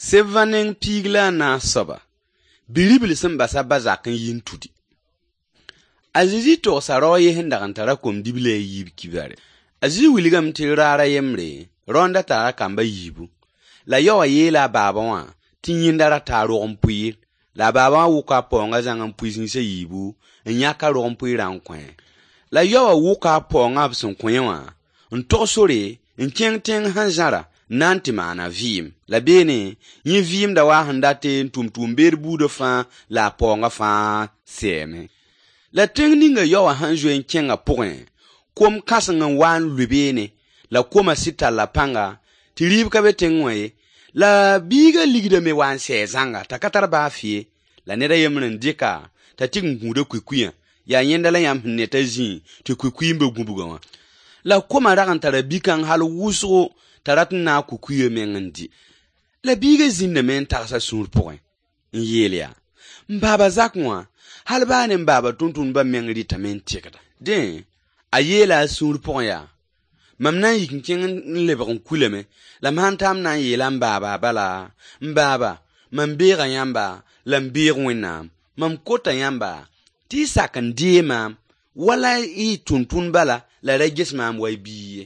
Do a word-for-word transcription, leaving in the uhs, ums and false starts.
Sebã neng piig la a naas soaba, bi-ribl sẽn bas a ba zak n yi n tudi. A Zezi togsa rao a ye sẽn dag n tara kom-dibla a yiib kibare. A Zezi wilgame tɩ raar a yembre, rao n da tara kamb a yiibu. La yaowã yeela a baaba wã tɩ yẽnda rata a rog-n-pʋɩɩr. La a baaba wã wʋka a paoongã zãng n pʋɩ zĩis a yiibu n yãk a rog-n-pʋɩɩrã n kõ-a. La yaowã wʋka a paoongã b sẽn kõ-a wã n tog sore n kẽng tẽng sẽn zãra n na n tɩ maan a vɩɩm. La beene, yẽ vɩɩmda waa sẽn date n tʋm tʋʋm-beed buudã fãa la a paoongã fãa sɛɛme. La tẽng ninga yaowã sẽn zoe n kẽngã pʋgẽ, kom kãseng n wa n lʋɩ beene, la koma sɩd talla pãnga, tɩ rɩɩb ka be tẽng wã ye. La biigã ligdame wa n sɛɛ zãnga t'a ka tar baa fɩ ye. La ned a yembr n dɩka t'a tɩg n gũud a kʋɩ-kʋɩyã. Yaa yẽnda la yãmb sẽn ne t'a zĩ tɩ kʋɩ-kʋɩ n be gũbgã wã. La koma rag n tara bi-kãng hal wʋsgo t'a rat n naag kʋɩ-kʋɩyã meng n dɩ. La biigã zĩndame n tags a sũur pʋgẽ n yeel yaa: m baaba zakẽ wã, hal baa ne m baaba tʋmtʋmdbã meng rɩtame n tɩgda. Dẽ, a yeela a sũur pʋgẽ yaa: mam na n yik n kẽng n lebg n kulame, la m sãn ta m na n yeela m baaba bala: m baaba, mam beega yãmba la m beeg Wẽnnaam. Mam kota yãmba tɩ y sak n dee maam wala y tʋmtʋmd bala la ra ges maam wa y biig ye.